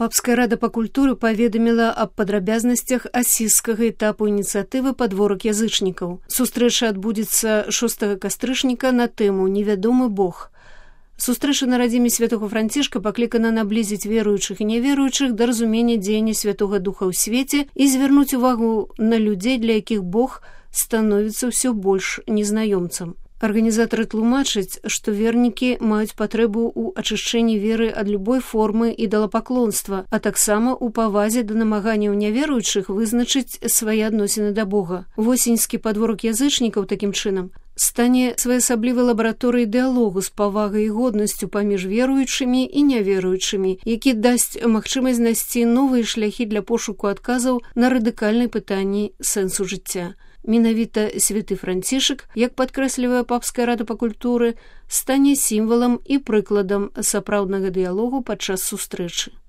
Папская рада па культуры паведаміла аб падрабязнасцях асізскага этапу ініцыятывы «Падворак язычнікаў». Сустрэча адбудзецца 6 кастрычніка на тэму «Невядомы Бог». Сустрэча на радзіме святого Францішка паклікана наблізіць веруючых і няверуючых да разумення дзеяння Святога Духа ў свеце і звярнуць увагу на людзей, для якіх Бог становіцца ўсё больш незнаёмцам. Арганізатары тлумачаць, што вернікі маюць патрэбу ў ачышчэнні веры ад любой формы ідалапаклонства, а таксама ў павазе да намаганняў няверуючых вызначыць свае адносіны да Бога. Восеньскі падворак язычнікаў такім чынам стане своеасаблівай лабараторыяй дыялогу з павагай і годнасцю паміж веруючымі і няверуючымі, які дасць магчымасць знайсці новыя шляхі для пошуку адказаў на радыкальныя пытанні сэнсу жыцця. Менавіта святы Францішак, як падкрэслівае Папская рада па культуры, стане сімвалам і прыкладам сапраўднага дыялогу падчас сустрэчы.